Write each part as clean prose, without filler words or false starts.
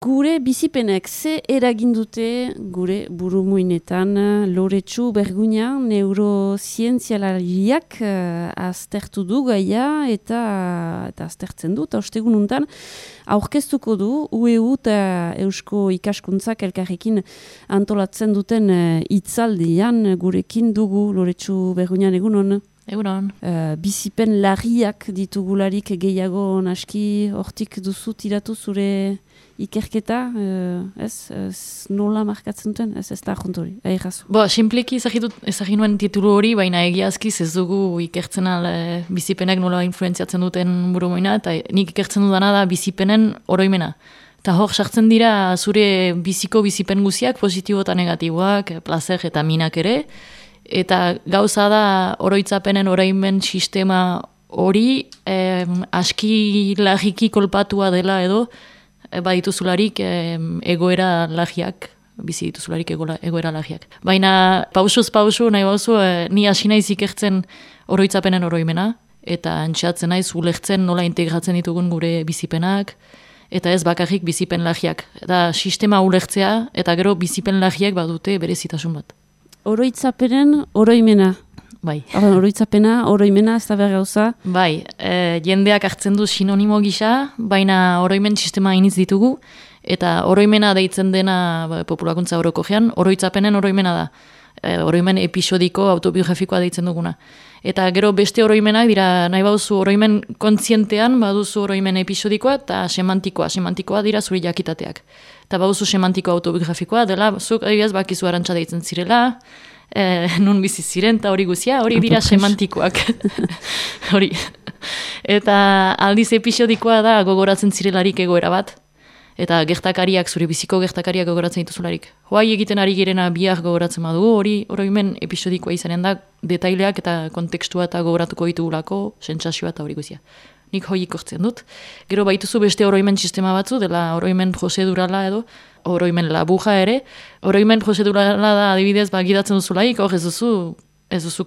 Gure bizipenek ze eragin dute gure burumuinetan Loretsu Berguña neurozientzialariak aztertu du gaia eta aztertzen du, eta ostegun untan aurkeztuko du UEU eta Eusko Ikaskuntzak elkarrekin antolatzen duten hitzaldian gurekin dugu Loretsu Berguña egunon. Egunon. Bizipen larriak ditugularik gehiago naski hortik duzu tiratu zure ikerketa, nola markatzen duten, ez da juntori, aigazu. Simpliki ezagin nuen titulu hori, baina egiazkiz ez dugu ikertzen bizipenek nola influenziatzen duten burumoina, eta nik ikertzen dudana da bizipenen oroimena. Eta hor sartzen dira zure bizipen guziak, positibo eta negatiboak, plazer eta minak ere, eta gauza da oroitzapenen oroimen sistema hori aski lagiki kolpatua dela edo badituzularik egoera lagiak, bizi dituzularik egoera lagiak. Baina pausuz pausu nahi bauzu, ni hasi naiz ikertzen oroitzapenen oroimena, eta antxatzen naiz ulertzen nola integratzen ditugun gure bizipenak, eta ez bakarrik bizipen lagiak. Eta sistema ulertzea, eta gero bizipen lagiak badute berezitasun bat. Oroitzapenen oroimena. Bai. Oroitzapena, oroimena, ez da behar gauza. Bai, jendeak hartzen du sinonimo gisa, baina oroimen sistema iniz ditugu, eta oroimena deitzen dena populakuntza orokogean, oroitzapenen oroimena da. Oroimen episodiko, autobiografikoa deitzen duguna. Eta gero beste oroimenak dira, nahi bauzu oroimen kontzientean, baduzu oroimen episodikoa eta semantikoa. Semantikoa dira zure jakitateak. Eta baduzu semantiko autobiografikoa, dela, zuk adibidez bakizu arantxa deitzen zirela, nun bizi ziren, eta hori guzia, hori dira semantikoak. Hori. Eta aldiz episodikoa da gogoratzen zirelarik egoera bat, eta gertakariak, zure biziko gertakariak gogoratzen dituzularik. Hoai egiten ari girena biak gogoratzen badugu, hori oroimen episodikoa izanen da, detaileak eta kontekstua eta gogoratuko ditugulako, sentsazioa eta hori guzia. Nik hoi ikortzen dut. Gero baituzu beste oroimen sistema batzu, dela oroimen prozedurala edo, oroimen labuja ere. Oroimen prozedurala da adibidez gidatzen duzulaik, hor ez duzu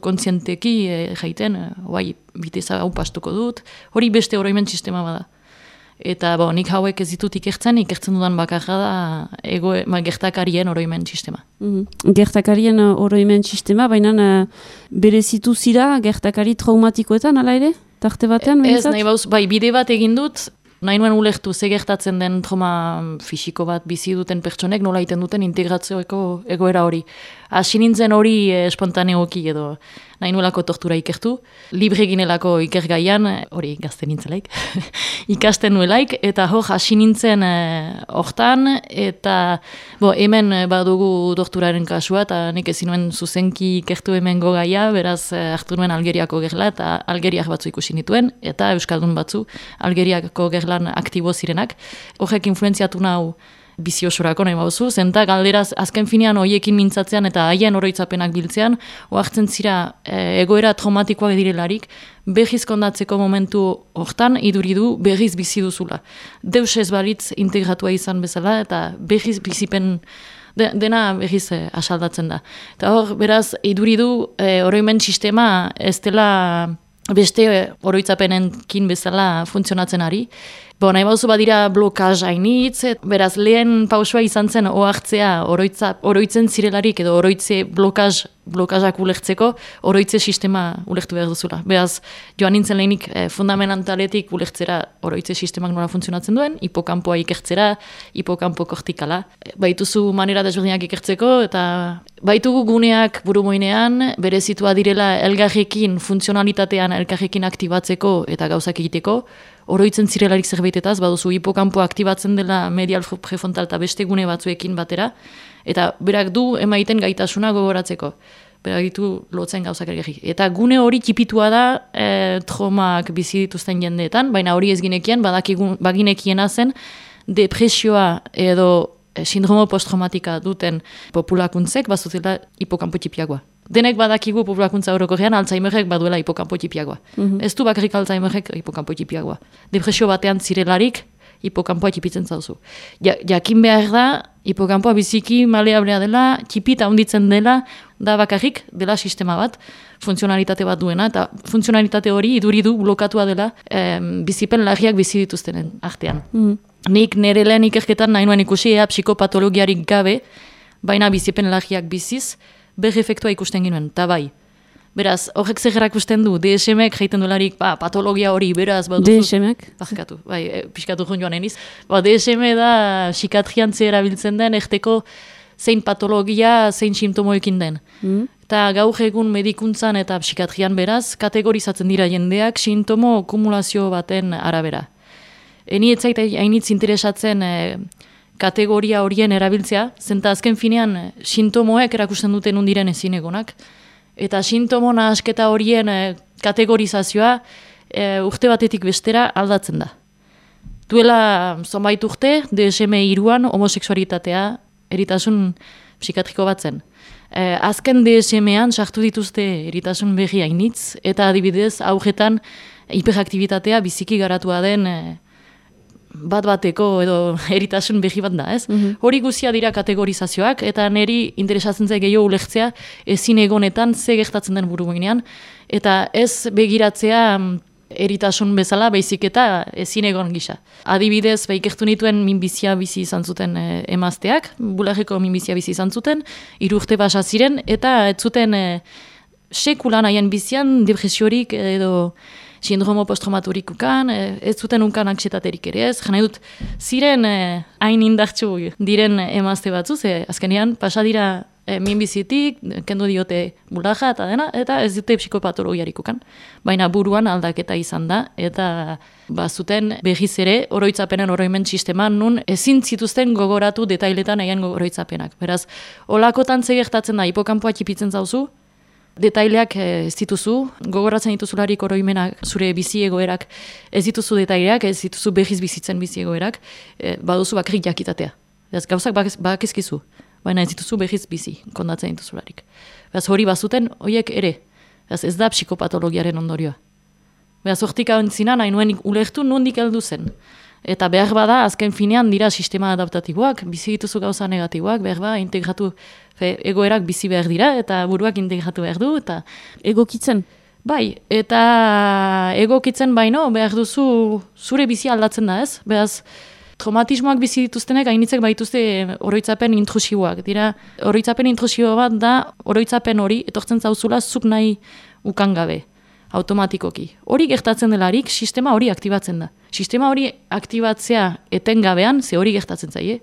kontzienteki jaiten, hoai biteza hau pastuko dut, hori beste oroimen sistema bada. Eta nik hauek ez ditut ikertzen dudan bakarra da gertakarien oroimen sistema. Gertakarien oroimen sistema, baina berezitu zira gertakari traumatikoetan, ala ere? Tarte batean, ez, nahi bauz, bide bat egin dut, nahi nuen ulertu ze gertatzen den trauma fisiko bat bizi duten pertsonek nola egiten duten integratzeoko egoera hori. Hasi nintzen hori espontaneoki edo nahi nuelako tortura ikertu, libre ginelako ikergaian, hori gazte nintzelaik, ikasten nuelaik, eta hor hasi nintzen hortan, eta hemen badugu torturaren kasua, eta nik ezin nuen zuzenki ikertu hemen gogaia, beraz hartu nuen Algeriako gerla, eta Algeriak batzu ikusi nituen, eta Euskaldun batzu Algeriako gerlan aktibo zirenak. Horrek influenziatu nau bizi osorako nahi bauzu, zenta galderaz azken finean hoiekin mintzatzean eta haien oroitzapenak biltzean, oartzen zira egoera traumatikoak direlarik, berriz kondatzeko momentu hortan iduridu berriz bizi duzula. Deus ez balitz integratua izan bezala eta berriz bizipen dena berriz asaldatzen da. Eta hor, beraz, iduridu oroimen sistema ez dela beste oroitzapenenkin bezala funtzionatzen ari. Nahi bauzu badira blokaz hainitz, beraz lehen pausua izan zen ohartzea oroitzen zirelarik edo oroitze blokazak ulertzeko, oroitze sistema ulertu behar duzula. Beraz, joan nintzen lehenik fundamentaletik ulertzera oroitze sistemak nola funtzionatzen duen, hipokampoa ikertzera, hipokampo kortikala. Baituzu manera desberdinak ikertzeko, eta baitugu guneak burumoinean, berezitua direla elgarrekin funtzionalitatean elgarrekin aktibatzeko eta gauzak egiteko, oroitzen zirelarik zerbaitetaz, baduzu hipokampoa aktibatzen dela medial prefrontal eta beste gune batzuekin batera, eta berak du emaiten gaitasuna gogoratzeko. Berak ditu lotzen gauzak ergerrik. Eta gune hori tipitua da traumak bizi dituzten jendeetan, baina hori ez ginekian, baginekiena zen depresioa edo sindromo posttraumatika duten populakuntzek bazutela hipokampo tipiagoa. Denek badakigu populakuntza orokorrean Alzheimerrek baduela hipokampo tipiagoa. Ez du bakarrik Alzheimerrek hipokampo tipiagoa. Depresio batean zirelarik hipokampoa tipitzen zauzu. Jakin behar da, hipokampoa biziki maleablea dela, tipita handitzen dela, da bakarrik dela sistema bat, funtzionalitate bat duena, eta funtzionalitate hori iduridu blokatua dela bizipen larriak bizi dituztenen artean. nik nire lehen ikerketan nahi nuen ikusi psikopatologiarik gabe, baina bizipen lagiak biziz, efektua ikusten ginoen, eta bai. Beraz, horrek zegerak usten du, DSM-ek jaiten dolarik, patologia hori, beraz, DSM-ek? Barkatu, piskatu joan eniz. DSM da, psikatrian erabiltzen den, erteko zein patologia, zein simptomoekin den. Eta gaur egun medikuntzan eta psikatrian beraz, kategorizatzen dira jendeak sintomo kumulazio baten arabera. Eni etzait hainitz interesatzen kategoria horien erabiltzea, zenta azken finean sintomoek erakusten duten undiren ezinegonak. Eta sintomo nahasketa horien kategorizazioa urte batetik bestera aldatzen da. Duela zonbait urte, DSM-3an homosexualitatea eritasun psikatriko bat zen. Azken DSM-an sartu dituzte eritasun berri hainitz, eta adibidez aurretan hiperaktibitatea biziki garatua den bat-bateko edo eritasun berri bat da, ez? Hori guzia dira kategorizazioak, eta niri interesatzen zaik gehiago ulertzea ezin egonetan ze gertatzen den buruginean, eta ez begiratzea eritasun bezala, baizik eta ezin egon gisa. Adibidez, ikertu nituen minbizia bizi izan zuten emazteak, bularreko minbizia bizi izan zuten, 3 urte pasa ziren, eta ez zuten sekulan haien bizian depresiorik edo sindromo posttraumaturiko ez zuten unkan anxietaterik ere ez. Jana dut, ziren hain indartsu diren emazte batzu, azkenean pasa dira minbizitik, kendu diote bulaja eta dena, eta ez dute psikopatologiarik ukan. Baina buruan aldaketa izan da, eta zuten berriz ere oroitzapenen oroimen sisteman nun ezin zituzten gogoratu detailetan haien oroitzapenak. Beraz, olakotan gertatzen da, hipokampoa txipitzen zauzu, detaileak ez dituzu, gogoratzen dituzularik oroimenak, zure bizi egoerak ez dituzu detaileak, ez dituzu berriz bizitzen bizi egoerak, baduzu bakarrik jakitatea. Ez gauzak bakizkizu, baina ez dituzu berriz bizi, kondatzen dituzularik. Beraz hori bazuten, horiek ere, ez da psikopatologiaren ondorioa. Beraz hortik hau entzina, nahi nuen ulertu nondik heldu zen. Eta behar bada, azken finean dira sistema adaptatiboak, bizi dituzu gauza negatiboak, behar bada, integratu, egoerak bizi behar dira, eta buruak integratu behar du, eta egokitzen? Bai, eta egokitzen baino, behar duzu zure bizi aldatzen da ez, behaz, traumatismoak bizi dituztenek hainitzek baituzte oroitzapen intrusiboak. Dira, oroitzapen intrusibo bat da, oroitzapen hori, etortzen zauzula, zuk nahi ukangabe, automatikoki. Hori gertatzen delarik, sistema hori aktibatzen da. Sistema hori aktibatzea etengabean, ze hori gertatzen zaie,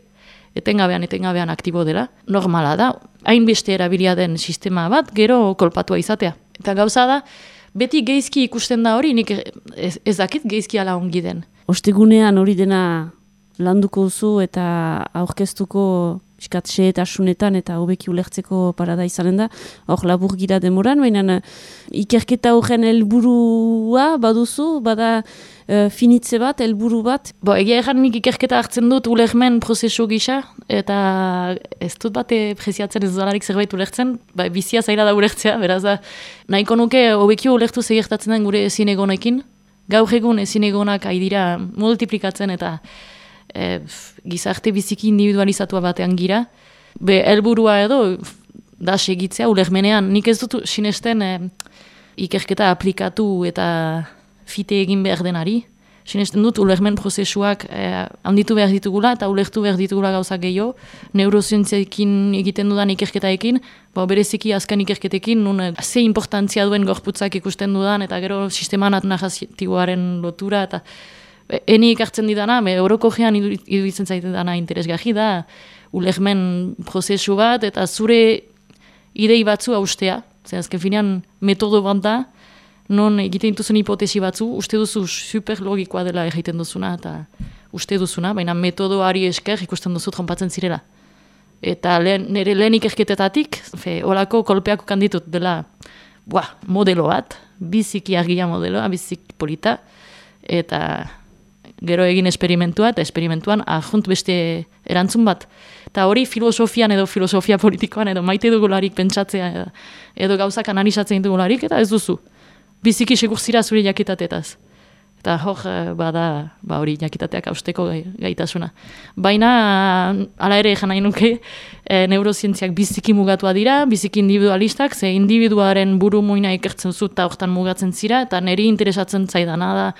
etengabean aktibo dela, normala da, hainbeste erabilia den sistema bat, gero kolpatua izatea. Eta gauza da, beti geizki ikusten da hori, nik ez dakit geizki ala ongi den. Ostegunean hori dena landuko duzu eta aurkeztuko pixkatxe eta asunetan eta hobeki ulertzeko parada izanen da, hor labur gira demoran, baina ikerketa horren helburua baduzu, bada finitze bat, helburu bat? Egia erran nik ikerketa hartzen dut ulermen prozesu gisa, eta ez dut bate preziatzen ez dolarik zerbait ulertzen, bizia zaila da ulertzea, beraz da, nahiko nuke hobeki ulertu zegertatzen den gure ezin egonekin, gaur egun ezin egonak haidira multiplikatzen eta gizarte biziki individualizatua batean gira. Helburua edo da segitzea ulermenean. Nik ez dut sinesten ikerketa aplikatu eta fite egin behar denari. Sinesten dut ulermen prozesuak handitu behar ditugula eta ulertu behar ditugula gauzak gehiago. Neurozientziekin egiten dudan ikerketaekin, bereziki azken ikerketekin, nun ze importantzia duen gorputzak ikusten dudan eta gero sistema narratiboaren lotura eta eni ikartzen didana, orokogean iruditzen zaiten dana interesgarri da, ulermen prozesu bat, eta zure idei batzu haustea, azken finean metodo bat da, non egiten dituzun hipotesi batzu, uste duzu super logikoa dela egiten duzuna, eta uste duzuna, baina metodoari esker ikusten duzu tronpatzen zirela. Eta nire lehen ikerketetatik, holako kolpeak ukanditut dela modelo bat, biziki argia modeloa, biziki polita, eta gero egin esperimentua, eta esperimentuan ahunt beste erantzun bat. Eta hori filosofian edo filosofia politikoan edo maite dugularik pentsatzea edo gauzak analizatzen dugularik, eta ez duzu. Biziki segur zira zure jakitatetaz. Eta hor bada hori jakitateak hausteko gaitasuna. Baina, hala ere egan nahi nuke, neurozientziak biziki mugatua dira, biziki individualistak, ze individuaren buru muina ikertzen zu eta hortan mugatzen zira, eta niri interesatzen zaidana da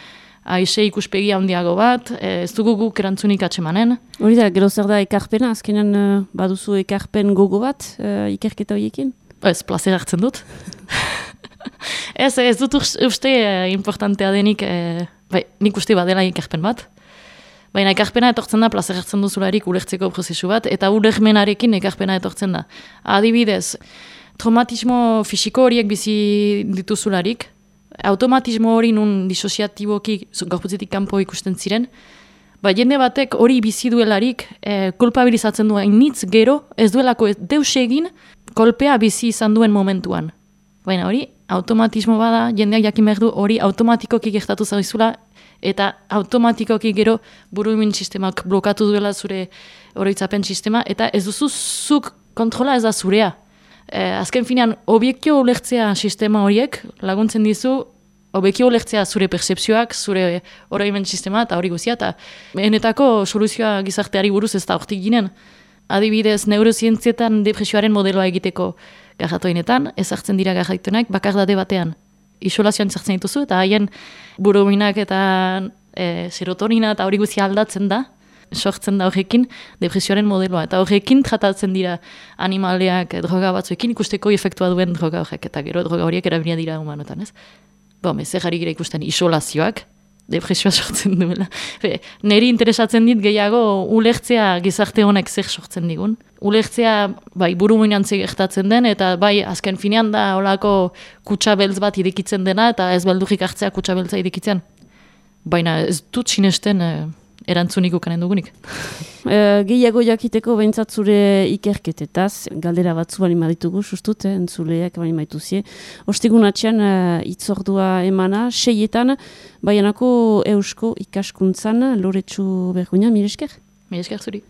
aixe ikuspegi handiago bat, ez dugu guk erantzunik atsemanen. Hori da, gero zer da ekarpena, azkenan baduzu ekarpen gogo bat ikerketa horiekin? Ez, plazer hartzen dut. Ez dut uste importantea denik, nik uste badela ekarpen bat. Baina ekarpena etortzen da, plazer hartzen duzularik ulertzeko prozesu bat, eta ulermenarekin ekarpena etortzen da. Adibidez, traumatismo fisiko horiek bizi dituzularik, automatismo hori nun disosiatiboki gorputzetik kanpo ikusten ziren, jende batek hori bizi duelarik kulpabilizatzen du hainitz gero, ez duelako deus egin kolpea bizi izan duen momentuan. Baina hori, automatismo bada, jendeak jakin behar du hori automatikoki gertatu zaizula, eta automatikoki gero burumin sistemak blokatu duela zure oroitzapen sistema, eta ez duzu zuk kontrola ez da zurea. Azken finean, objektio ulertzea sistema horiek laguntzen dizu, objektio ulertzea zure percepzioak, zure oroimen sistema, eta hori guzia, eta benetako soluzioa gizarteari buruz ez da hortik ginen. Adibidez, neurozientzietan depresioaren modeloa egiteko garratoinetan, ezartzen dira garratoinak bakardade batean. Isolazioan ezartzen dituzu, eta haien buruminak eta serotonina eta hori guzia aldatzen da, sortzen da horrekin depresioaren modeloa. Eta horrekin tratatzen dira animaleak droga batzuekin ikusteko efektua duen droga horrek, eta gero droga horiek erabilia dira humanotan, ez? Zer jarri gira ikusten isolazioak, depresioa sortzen duela. Neri interesatzen dit gehiago ulertzea gizarte honek zer sortzen digun. Ulertzea buruminan gertatzen den, eta azken finean da holako kutsa beltz bat irekitzen dena, eta ez beldurrik hartzea kutsa beltza irekitzen. Baina ez dut sinesten erantzunik ukanen dugunik. Gehiago jakiteko behintzat zure ikerketetaz, galdera batzu bali maditugu, sustut, entzuleak bali maituzie. Ostegun atxean itzordua emana, 6etan, Baianako Eusko ikaskuntzan, Loretsu Berguina, mire esker? Mire esker zuri.